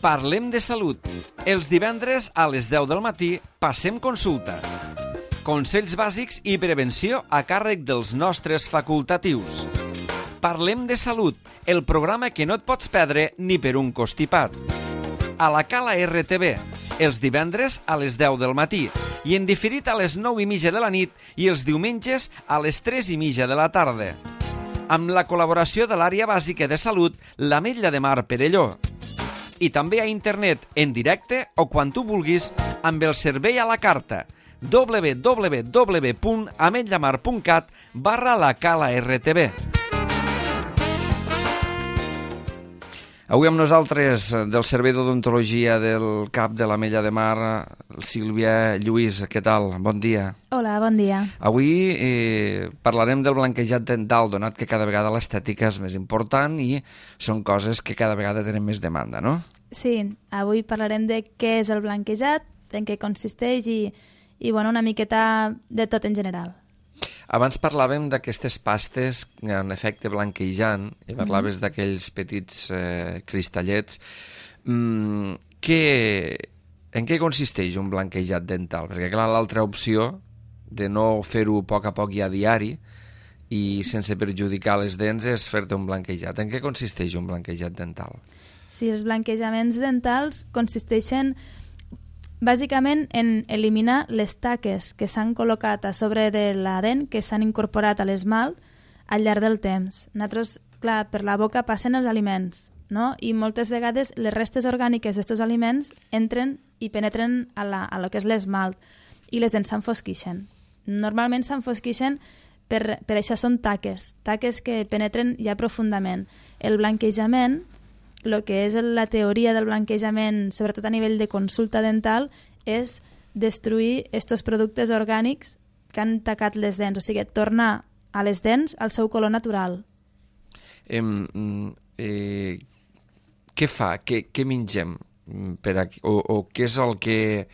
Parlem de salut. Els divendres a les 10 del matí passem consulta. Consells bàsics i prevenció a càrrec dels nostres facultatius. Parlem de salut, el programa que no et pots perdre ni per un costipat. A la Cala RTV, els divendres a les 10 del matí i en diferit a les 9:30 de la nit i els diumenges a les 3:30 de la tarda. Amb la col·laboració de l'àrea bàsica de salut, l'Ametlla de Mar Perelló. I també a internet, en directe o quan tu vulguis, amb el servei a la carta www.ametllamar.cat/la Cala RTV. Avui amb nosaltres, del Servei d'Odontologia del CAP de l'Ametlla de Mar, Sílvia Lluís. Què tal? Bon dia. Hola, bon dia. Avui parlarem del blanquejat dental, donat que cada vegada l'estètica és més important i són coses que cada vegada tenen més demanda, no? Sí, avui parlarem de què és el blanquejat, en què consisteix i bueno, una miqueta de tot en general. Abans parlàvem d'aquestes pastes en efecte blanquejant i parlaves d'aquells petits cristallets. En què consisteix un blanquejat dental? Perquè, clar, l'altra opció de no fer-ho a poc i a diari i sense perjudicar les dents és fer-te un blanquejat. En què consisteix un blanquejat dental? Sí, els blanquejaments dentals consisteixen bàsicament en eliminar les taques que s'han col·locat a sobre de la dent, que s'han incorporat a l'esmalt al llarg del temps. Nosaltres, clar, per la boca passen els aliments, no? I moltes vegades les restes orgàniques d'aquests aliments entren i penetren a lo que és l'esmalt i les dents s'enfosquixen. Normalment s'enfosquixen per això són taques que penetren ja profundament. El blanquejament, el que és la teoria del blanquejament, sobretot a nivell de consulta dental, és destruir aquests productes orgànics que han tacat les dents, o sigui, tornar a les dents al seu color natural. Què fa? Què mengem? O què és el que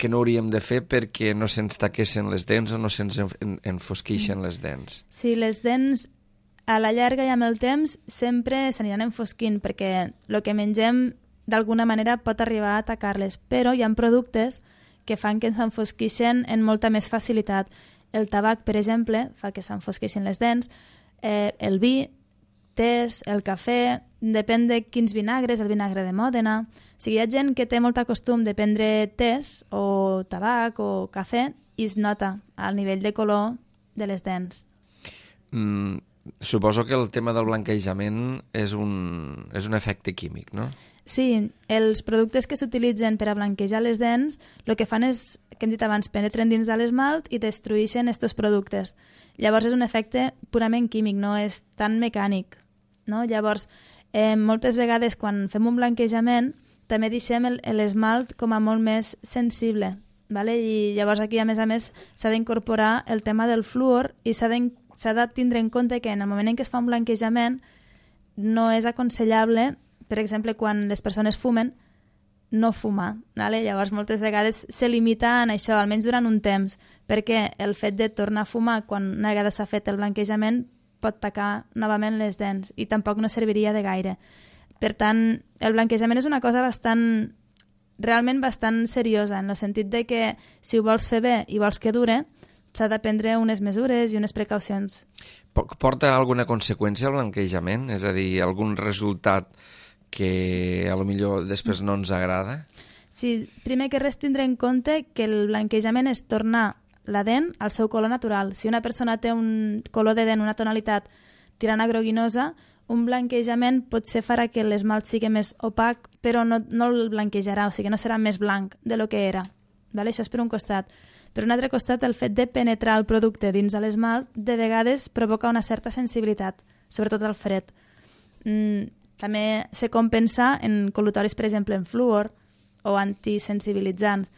no hauríem de fer perquè no se'ns taquessin les dents o no se'ns enfosqueixen les dents? Sí, les dents a la llarga i amb el temps sempre s'aniran enfosquint perquè el que mengem d'alguna manera pot arribar a atacar-les, però hi ha productes que fan que s'enfosqueixen amb molta més facilitat. El tabac, per exemple, fa que s'enfosqueixin les dents, el vi, tés, el cafè, depèn de quins vinagres, el vinagre de Mòdena. O sigui, hi ha gent que té molt costum de prendre tés o tabac o cafè i es nota al nivell de color de les dents. Suposo que el tema del blanquejament és un efecte químic, no? Sí, els productes que s'utilitzen per a blanquejar les dents, el que fan és, que hem dit abans, penetren dins de l'esmalt i destrueixen aquests productes. Llavors és un efecte purament químic, no és tan mecànic, no? Llavors, moltes vegades quan fem un blanquejament també deixem l'esmalt com a molt més sensible, ¿vale? I llavors aquí a més s'ha d'incorporar el tema del fluor i s'ha de tindre en compte que en el moment en què es fa un blanquejament no és aconsellable, per exemple, quan les persones fumen, no fumar. ¿Vale? Llavors, moltes vegades se limita en això, almenys durant un temps, perquè el fet de tornar a fumar quan una vegada s'ha fet el blanquejament pot tacar novament les dents i tampoc no serviria de gaire. Per tant, el blanquejament és una cosa realment bastant seriosa, en el sentit de que si ho vols fer bé i vols que dure, s'ha de prendre unes mesures i unes precaucions. Porta alguna conseqüència el blanquejament? És a dir, algun resultat que potser després no ens agrada? Sí, primer que res tindre en compte que el blanquejament és tornar la dent al seu color natural. Si una persona té un color de dent, una tonalitat tirant a groguinosa, un blanquejament potser farà que l'esmalt sigui més opac, però no el blanquejarà, o sigui, no serà més blanc de lo que era. Vale? Això és per un costat. Per un altre costat, el fet de penetrar el producte dins de l'esmalt de vegades provoca una certa sensibilitat, sobretot al fred. També se compensa en col·lutoris, per exemple, en fluor o antisensibilitzants.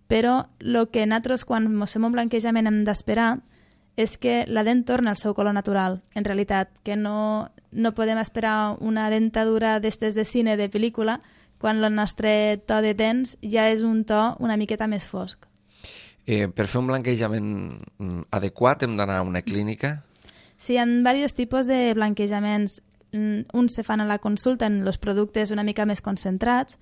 Però el que nosaltres, quan fem un blanquejament, hem d'esperar és que la dent torna al seu color natural, en realitat, que no podem esperar una dentadura d'estes de cine, de pel·lícula, quan el nostre to de dents ja és un to una miqueta més fosc. Per fer un blanquejament adequat hem d'anar a una clínica? Sí, hi ha diversos tipus de blanquejaments. uns se fan a la consulta en els productes una mica més concentrats,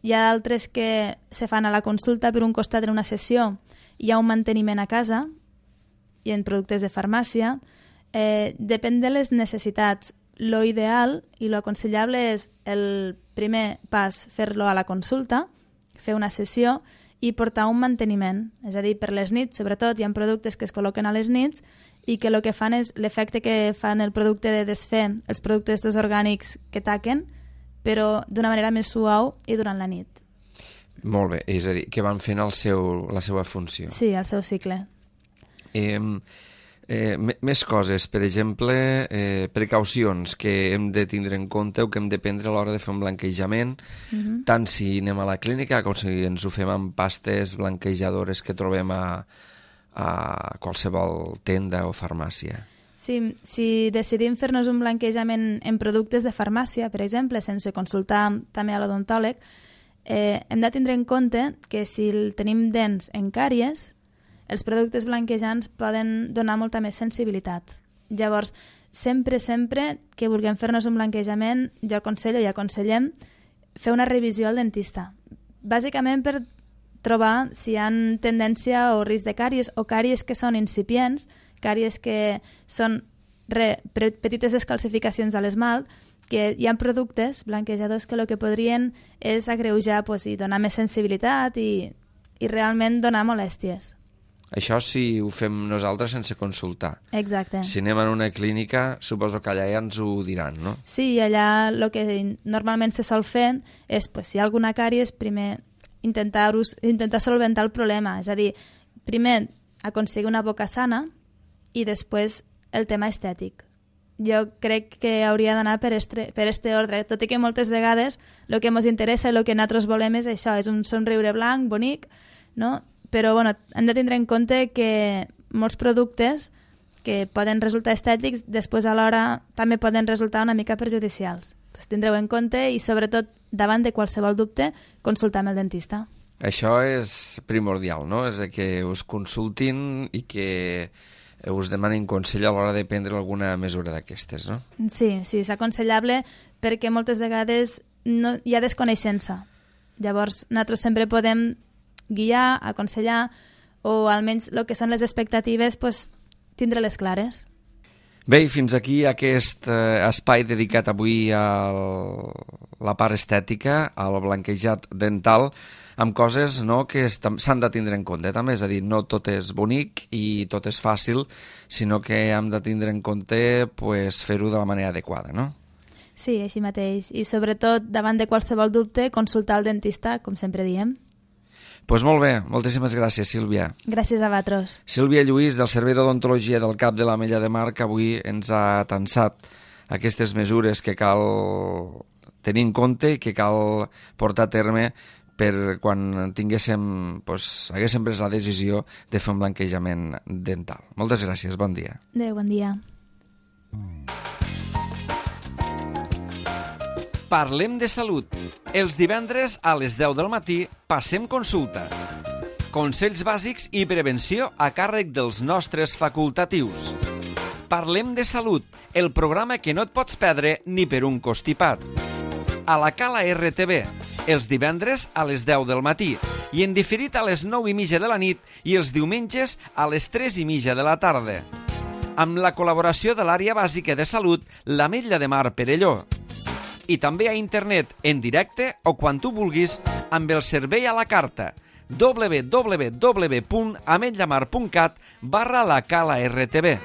hi ha altres que se fan a la consulta, per un costat en una sessió hi ha un manteniment a casa i en productes de farmàcia. Depèn de les necessitats. Lo ideal i lo aconsellable és el primer pas fer-lo a la consulta, fer una sessió i portar un manteniment. És a dir, per les nits, sobretot, hi ha productes que es col·loquen a les nits i que el que fan és l'efecte que fan el producte de desfer els productes orgànics que taquen, però d'una manera més suau i durant la nit. Molt bé, és a dir, que van fent la seva funció. Sí, el seu cicle. Més coses, per exemple, precaucions que hem de tindre en compte o que hem de prendre a l'hora de fer un blanquejament, tant si anem a la clínica com si ens ho fem amb pastes blanquejadores que trobem a qualsevol tenda o farmàcia. Sí, si decidim fer-nos un blanquejament en productes de farmàcia, per exemple, sense consultar també a l'odontòleg, hem de tindre en compte que si tenim dents en càries, els productes blanquejants poden donar molta més sensibilitat. Llavors, sempre que vulguem fer-nos un blanquejament, jo aconsello i aconsellem fer una revisió al dentista. Bàsicament per trobar si hi ha tendència o risc de càries o càries que són incipients, càries que són petites descalcificacions a l'esmalt, que hi ha productes blanquejadors que el que podrien és agreujar i donar més sensibilitat i realment donar molèsties. Això si ho fem nosaltres sense consultar. Exacte. Si anem a una clínica, suposo que allà ja ens ho diran, no? Sí, allà el que normalment se sol fer és, si hi ha alguna càries, primer intentar solventar el problema. És a dir, primer aconseguir una boca sana i després el tema estètic. Jo crec que hauria d'anar per este ordre, tot i que moltes vegades el que ens interessa i el que nosaltres volem és això, és un somriure blanc, bonic, no? Però hem de tindre en compte que molts productes que poden resultar estètics després alhora també poden resultar una mica perjudicials. Tindreu en compte i sobretot davant de qualsevol dubte consultar amb el dentista. Això és primordial, no? És que us consultin i que us demanin consell a l'hora de prendre alguna mesura d'aquestes, no? Sí, és aconsellable perquè moltes vegades hi ha desconeixença. Llavors, nosaltres sempre podem guiar, aconsellar, o almenys el que són les expectatives, tindre-les clares. Bé, i fins aquí aquest espai dedicat avui a la part estètica, al blanquejat dental, amb coses que s'han de tindre en compte també, és a dir, no tot és bonic i tot és fàcil, sinó que hem de tindre en compte fer-ho de la manera adequada, no? Sí, així mateix. I sobretot, davant de qualsevol dubte, consultar el dentista, com sempre diem. Doncs molt bé, moltíssimes gràcies, Sílvia. Gràcies a vosaltres. Sílvia Lluís, del Servei d'Odontologia del CAP de l'Ametlla de Mar, que avui ens ha atansat aquestes mesures que cal tenir en compte i que cal portar a terme per quan haguéssim pres la decisió de fer un blanquejament dental. Moltes gràcies, bon dia. Adéu, bon dia. Parlem de salut. Els divendres a les 10 del matí passem consulta. Consells bàsics i prevenció a càrrec dels nostres facultatius. Parlem de salut, el programa que no et pots perdre ni per un costipat. A la Cala RTV, els divendres a les 10 del matí i en diferit a les 9:30 de la nit i els diumenges a les 3:30 de la tarda. Amb la col·laboració de l'Àrea Bàsica de Salut, l'Ametlla de Mar Perelló. I també a internet, en directe o quan tu vulguis, amb el servei a la carta www.ametllamar.cat/la Cala RTV.